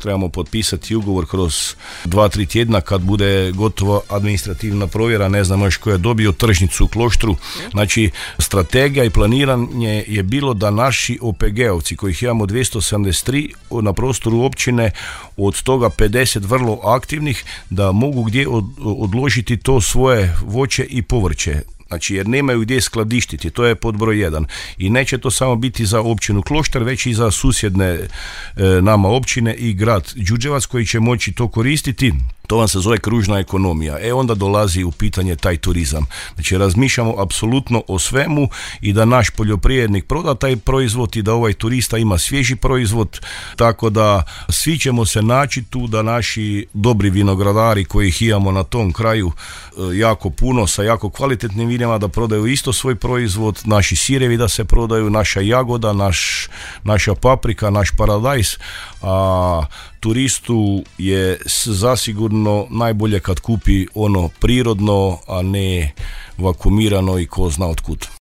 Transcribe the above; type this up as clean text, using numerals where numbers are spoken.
trebamo potpisati ugovor kroz 2-3 tjedna kad bude gotova administrativna provjera, ne znam još ko je dobio tržnicu u Kloštru. Znači, strategija i planiranje je bilo da naši OPG-ovci, kojih imamo 273 na prostoru općine, od toga 50 vrlo aktivnih, da mogu gdje odložiti to svoje voće i povrće. Znači, jer nemaju gdje skladištiti, to je pod broj 1. I neće to samo biti za općinu Kloštar, već i za susjedne nama općine i grad Đurđevac koji će moći to koristiti. To vam se zove kružna ekonomija. Onda dolazi u pitanje taj turizam. Znači, razmišljamo apsolutno o svemu i da naš poljoprivrednik proda taj proizvod i da ovaj turista ima svježi proizvod, tako da svi ćemo se naći tu, da naši dobri vinogradari kojih imamo na tom kraju jako puno, sa jako kvalitetnim vinima, da prodaju isto svoj proizvod, naši sirevi da se prodaju, naša jagoda, naša paprika, naš paradajz, a turistu je zasigurno najbolje kad kupi ono prirodno, a ne vakumirano i ko zna otkud.